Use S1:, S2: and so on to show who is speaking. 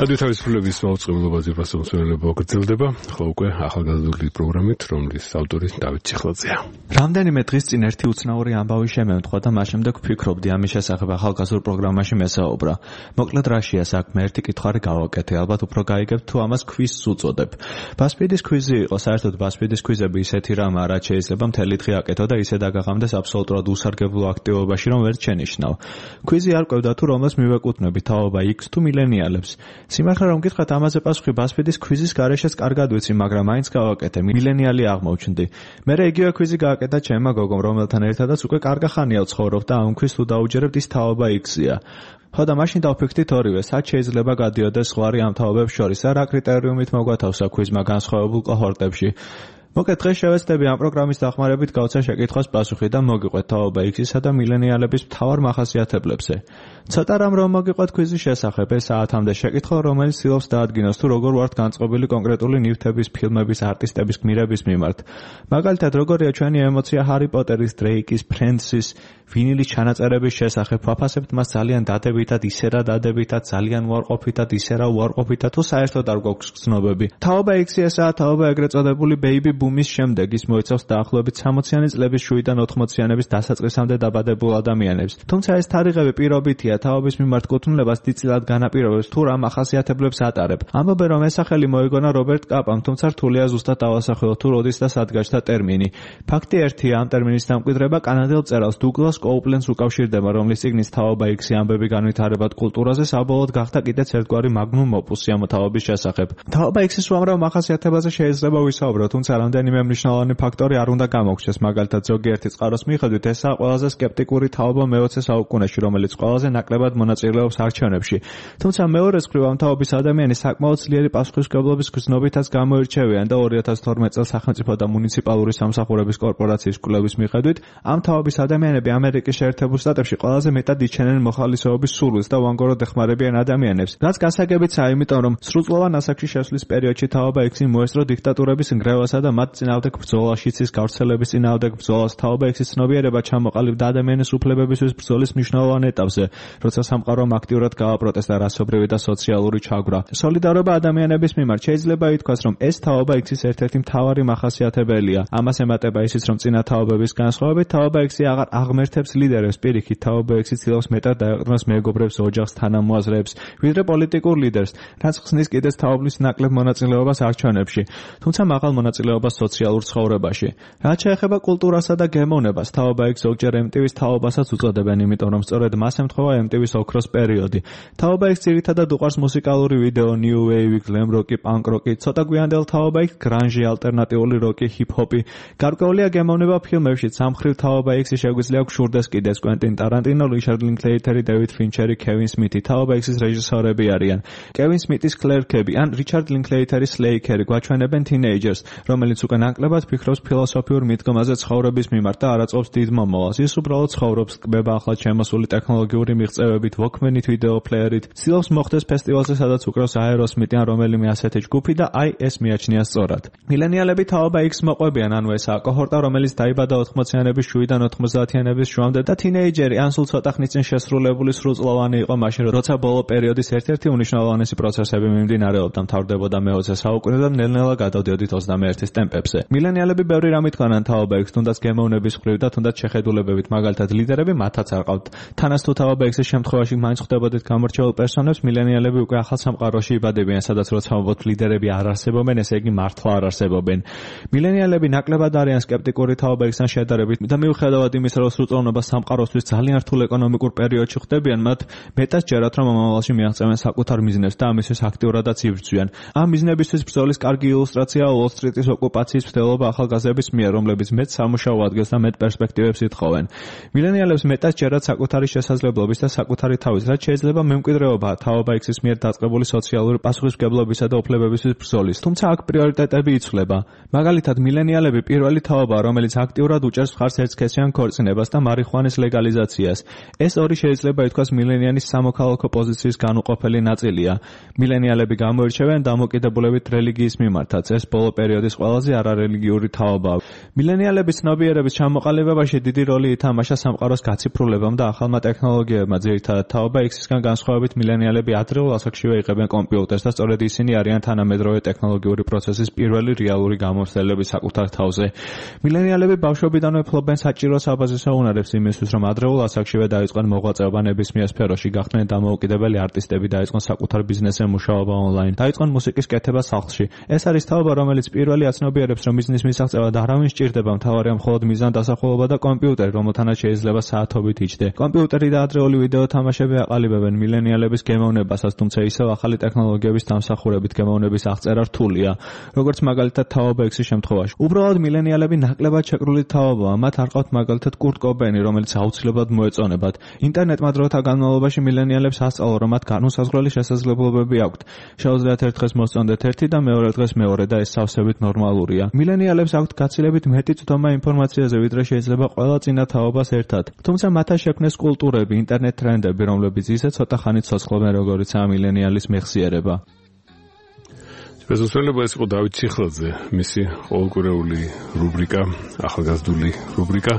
S1: რადიო თავისუფლების მაუწყებლობაზე პასუხისმგებლობა გრძელდება, ხო უკვე ახალგაზრდული პროგრამით, რომლის ავტორი დავით ციხლაძეა.
S2: რამდენიმე დღის წინ ერთი უცნაური ამბავი შემემთხვა და მას შემდეგ ვფიქრობდი ამის შესახებ ახალგაზრდულ პროგრამაში მესაუბრა. მოკლედ რაშია საქმე, ერთი კითხარი გავაკეთე, ალბათ უფრო გაიგებთ თუ ამას ქვიზს უწოდებ. ბასპიდის ქვიზი იყო, საერთოდ ბასპიდის ქვიზები ისეთი რამაა, რაც შეიძლება მთელი დღე აკეთო და ისე დაგაღამდეს აბსოლუტურად უსარგებლო აქტივობაში, რომ ვერ შენიშნავ. ქვიზი არ ყვევდა თუ რომელს მივეკუთვნები, თაობა X თუ მილენიალებს. სიმართლე რომ გითხრათ, ამაზე პასუხი ბასპიდის ქვიზის გარეშეც კარგად ვიცი, მაგრამ მაინც გავაკეთე, მილენიალი აღმოჩნდი. მერე იგივე ქვიზი გააკეთა ჩემმა გოგომ, რომელთან ერთადაც უკვე კარგა ხანია ვცხოვრობ და ამ ქვიზს თუ დაუჯერებთ, ის თაობა X-ია. ხო და მაშინ დავფიქრდით ორივე, სად შეიძლება გადიოდეს ზღვარი ამ თაობებს შორის და რა კრიტერიუმით მოგვათავსა ქვიზმა განსხვავებულ კოჰორტებში. მოკეთ დღეს შევეცდები ამ პროგრამის დახმარებით გავცე შეკითხვას პასუხი და მოგიყვეთ თაობა X-ისა და მილენიალების მთავარ მახასიათებლებზე. ცოტა რამ რომ მოგიყვეთ ქვიზის შესახებ, ეს საათამდე შეკითხვა, რომელიც ცდილობს დაადგინოს თუ როგორ ვართ განწყობილი კონკრეტული ნივთების, ფილმების, არტისტების გმირების მიმართ. მაგალითად, როგორია ჩვენი ემოცია ჰარი პოტერის, დრეიკის, ფრენდსის, ვინილის ჩანაწერების შესახებ, ვაფასებთ მას ძალიან დადებითად, ისე რა დადებითად, ძალიან უარყოფითად, ისე რა უარყოფითად, თუ საერთოდ არ გვაქვს ცნობები. თაობა X-ი ესაა თაობა ეგრეთ წოდებული ბეიბი ბუმის შემდეგ, ის მოიცავს დაახლოებით 60-იანი წლების შუიდან 80-იანების დასაწყისამდე დაბადებულ ადამიანებს. თუმცა ეს თარიღები პირობითია, თაობის მიმართ კუთვნილებას დიდწილად განაპირობებს თუ რა მახასიათებლებს ატარებ. ამბობენ, რომ ეს სახელი მოიგონა რობერტ კაპამ, თუმცა რთულია ზუსტად დავასახელოთ თუ როდის და სად გაჩნდა ტერმინი. ფაქტი ერთია, ამ ტერმინის დამკვიდრება კანადელ მწერალს დუგლას კოუპლენს უკავშირდება, რომლის წიგნის თაობა X-ი ამბები განვითარებად კულტურაზე საბოლოოდ გახდა კიდეც ერთგვარი მაგნუმ ოპუსი ამ თაობის შესახებ. თაობა X-ის უამრავ მახასიათებაზე შეიძლება ვისაუბროთ, თუმცა რამდენიმე მნიშვნელოვანი ფაქტორი არ უნდა გამოგჩეს. მაგალითად, ზოგიერთი წყაროს მიხედვით, ესაა ყველაზე სკეპტიკური თაობა მე-20 საუკუნეში, რომელიც ყველაზე ნაკლებად მონაწილეობს არჩევნებში. თუმცა მეორეს მხრივ ამ თაობის ადამიანები საკმაოდ ძლიერი პასუხისმგებლობის გზნობითაც გამოირჩევიან და 2012 წელს სახელმწიფო და მუნიციპალური სამსახურების კორპორაციის კვლევის მიხედვით, ამ თაობის ადამიანები ამერიკის შეერთებულ შტატებში ყველაზე მეტად იჩენენ მოხალისეობის სურვილს და უანგოროდ ეხმარებიან ადამიანებს. რაც გასაგებიცაა, იმიტომ რომ სრულწლოვან ასაკში შესვლის პერიოდში თაობა X-ი მოესწრო დიქტატურების ნგრევასა და მათ წინააღმდეგ ბრძოლაში, ცის გავრცელების წინააღმდეგ ბრძოლას. თაობა X-ის ცნობიერება ჩამოყალიბდა ადამიანის უფლებებისთვის ბრძოლის მნიშვნელოვან ეტაპზე, როცა სამყარომ აქტიურად გააპროტესტა რასობრივი და სოციალური ჩაგვრა. სოლიდარობა ადამიანების მიმართ შეიძლება ითქვას, რომ ეს თაობა X-ის ერთ-ერთი მთავარი მახასიათებელია. ამას ემატება ისიც, რომ წინა თაობების განსხვავებით, თაობა X-ი აღარ აღმერთებს ლიდერებს, პირიქით, თაობა X-ი ცდილობს მეტად დაეყრდნოს მეგობრებს, ოჯახს, თანამოაზრეებს, ვიდრე პოლიტიკურ ლიდერს, რაც ხსნის კიდეც თაობის ნაკლებ მონაწილეობას არჩევნებში, თუმცა მაღალ მონაწილეობას სოციალურ ცხოვრებაში. რაც შეეხება კულტურასა და გემოვნებას, თაობა X ზოგჯერ MTV-ს თაობასაც უწოდებენ, იმიტომ რომ სწორედ მას ემთხვევა MTV-ს ოქროს პერიოდი. თაობა X ძირითადად უყვარს მუსიკალური ვიდეო, new wave, glam rock, punk rock, ცოტა გვიანდელ თაობა X grunge, ალტერნატიული როკი, hip-hop. გარკვეულია გემოვნება ფილმებში, სამხრივ თაობა X-ი შეგვიძლია გვშურდეს კიდეც კვენტინ ტარანტინო, რიჩარდ ლინკლეიტერი, დევიდ ფინჩერი, კევინ სმითი. თაობა X-ის რეჟისორები არიან. კევინ სმითის კლერკები ან რიჩარდ ლინკლეიტერის სლეიქერი გვაჩვენებენ თინეიჯერს, რომელიც უკვე ნაკლებად ფიქრობს ფილოსოფიურ მიდგომაზე ცხოვრების მიმართ და არ აწყობს დიდ მომავალს. ის უბრალოდ ცხოვრობს, კბება ახლად შემოსული ტექნოლოგიური მიღწევებით, ვოქმენით, ვიდეო პლეიერით, ცდილობს მოხდეს ფესტივალზე, სადაც უკრავს აეროსმითი ან რომელიმე ასეთი ჯგუფი და აი ეს მიაჩნია სწორად. მილენიალები თაობა X მოყვებიან, ანუ ესაა კოჰორტა, რომელიც დაიბადა 80-იანების შუიდან 90-იანების შუამდე და თინეიჯერი ან სულ ცოტა ხნის წინ შესრულებული სრულწლოვანი იყო მაშინ, როცა ბოლო პერიოდის ერთ-ერთი უმნიშვნელოვანესი პროცესები მიმდინარეობდა, მთავრდებოდა მე-20 საუკუნე და ნელ-ნელა გადავდიოდით 21-ის ტემპებზე. მილენიალები ბევრი რამ ითქვანან თაობა X, თუნდაც გემოვნების მხრივ და თუნდაც შეხედულებებით, მაგალითად ლიდერები მათაც არ ყავთ. თანაც თუ თაობა X-ის შემთხვევაში მაინც ხვდებოდით გამორჩეულ პერსონებს, მილენიალები უკვე ახალ სამყაროში იბადებიან, სადაც როცა ვამბობთ ლიდერები არ არსებობენ, ესე იგი მართლა არ არსებობენ. მილენიალები ნაკლებად არიან სკეპტიკური თაობა X-თან შედარებით და მიუხედავად იმისა, რომ სრულწლოვანობა სამყაროსთვის ძალიან რთულ ეკონომიკურ პერიოდში ხდებიან, მათ მეტად ჯერათ, რომ მომავალში მიაღწევენ საკუთარ მიზნებს და ამისთვის აქტიურადაც იბრძვიან. ამ მიზნებისთვის ბრძოლის კარგი ილუსტრაცია Wall Street-ის ოკუპაციის მცდელობა ახალგაზრდების მიერ, რომლებიც მეტ სამუშაო ადგილს და მეტ პერსპექტივებს ითხოვენ. მილენიალებს მეტად ჯერათ საკუთარი შესაძლებლობის და საკუთარი თავის, რაც შეიძლება მემკვიდრეობა თაობა X-ის მიერ დაწყებული სოციალური პასუხისმგებლობისა და უფლებებისთვის ბრძოლის. თუმცა აქ პრიორიტეტები იცვლება. მაგალითად, მილენიალები პირველი თაობაა, რომელიც აქტიურად უჭერს მხარს ერთსქესიან ქორწინებას და მარიხუანის ლეგალიზაციას. ეს ორი შეიძლება ითქვას მილენიანის სამოქალაქო პოზიციის განუყოფელი ნაწილია. მილენიალები გამოირჩევიან დამოკიდებულებით რელიგიის მიმართაც. ეს ბოლო პერიოდის ყველაზე ძალზე არარელიგიური თაობაა. მილენიალების ცნობიერების ჩამოყალიბებაში დიდი როლი ითამაშა სამყაროს გაციფრულებამ და ახალმა ტექნოლოგიებმა. ძირითადად თაობა X-ისგან განსხვავებით მილენიალები ადრეულ ასაკშივე იყებენ კომპიუტერს და სწორედ ისინი არიან თანამედროვე ტექნოლოგიური პროცესის პირველი რეალური გამოცდილები საკუთარ თავზე. მილენიალები ბავშვობიდანვე ფლობენ საჭირო საბაზისო უნარებს იმისთვის, რომ ადრეულ ასაკშივე დაიწყონ მოღვაწეობა ნებისმიერ სფეროში, გახდნენ დამოუკიდებელი არტისტები, დაიწყონ საკუთარ ბიზნესზე მუშაობა ონლაინ, დაიწყონ მუსიკის კეთება სახლში. ეს არის თაობა, რომელიც პირველი აცნობიერებს, რომ მიზნის მისაღწევად არავინ სჭირდება, მთავარია მხოლოდ მიზანდასახულობა და კომპიუტერი, რომელთანაც შეიძლება საათობით იჯდე. კომპიუტერი და ადრეული ვიდეო თამაშები აყალიბებენ მილენიალების გემოვნებასაც, თუმცა ისევ ახალი ტექნოლოგიების დამსახურებით გემოვნების აღწერა რთულია, როგორც მაგალითად თაობა X-ის შემთხვევაში. უბრალოდ მილენიალები ნაკლებად შეკრული თაობაა, მათ არ ყავთ მაგალითად კურტ კობეინი, რომელიც აუცილებლად მოეწონებათ. ინტერნეტმა დროთა განმავლობაში მილენიალებს ასწავლა, რომ მათ განუსაზღვრელი შესაძლებლობები აქვთ. შეუძლიათ ერთ დღეს მოსწონდეთ ერთი და მეორე დღეს მეორე და ეს სავსებით ნორმალურია. მილენიალებს აქვთ გაცილებით მეტი წვდომა ინფორმაციაზე, ვიდრე შეიძლება ყველა წინა თაობას ერთად. თუმცა მათთან შექმნეს კულტურები, ინტერნეტ ტრენდები, რომლებიც ისე ცოტა ხანით ცოცხლობენ, როგორიცაა მილენიალის მეხსიერება.
S1: სპეციალურად ეს იყო დავით ციხლაძე, მისი ყოველკვირეული რუბრიკა, ახალგაზრდული რუბრიკა.